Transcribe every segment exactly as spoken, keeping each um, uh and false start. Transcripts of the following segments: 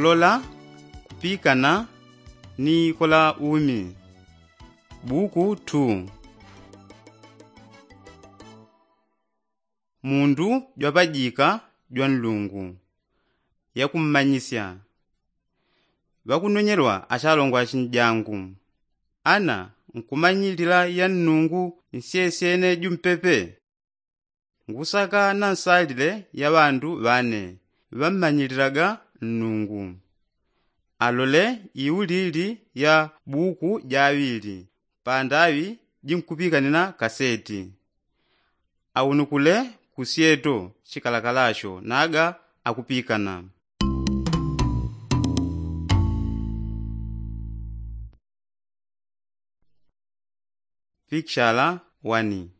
Lola kupikana ni kola umi. Buku two. Mundu jwapajika jwa nlungu. Yakummanyisya. Ŵakunonyelwa achalongo achinjangu, ana nkumanyilila ya nnungu nsyesyene jumpepe? Ngusaka na nsalile ya ŵandu ŵane ŵammanyililaga nnungu. Alole iulili ya buku jaŵili pandaŵi jinkupikanina kaseti. Aunukule kusyeto chikalakalacho naga akupikana. Pikishala wani.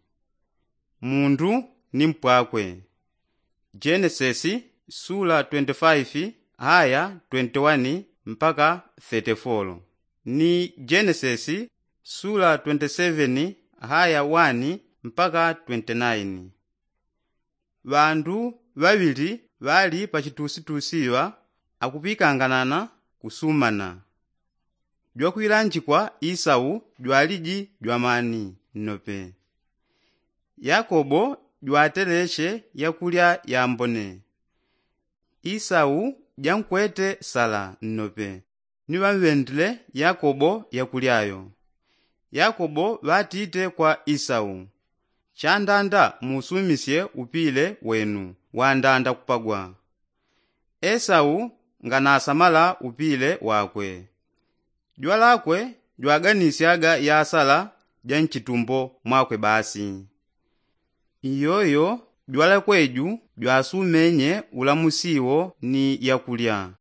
Mundu ni mpwakwe. Jenesesi sula twenty-five haya twenty-one mpaka thirty-four, ni jenesesi sula twenty-seven haya wani mpaka twenty-nine. Ŵandu ŵaŵili ŵali pachitusitusiŵa akupikanganana kusumana. Jwakwilanjikwa isau jwaliji jwamani nnope. Yakobo jwateleche yakulya yambone. Isau jankwete sala nnope ni ŵamŵendile yakobo yakulya yo. Yakobo ŵatite kwa isau, chandanda muusumisye upile wenu wandanda kupagwa. Esau nganasamala upile wakwe. Jwalakwe jwaganisyaga yasala ja nchitumbo mwakwe basi. Iyoyo jwalakwe ju jwasumenye ulamusi wo ni yakulya.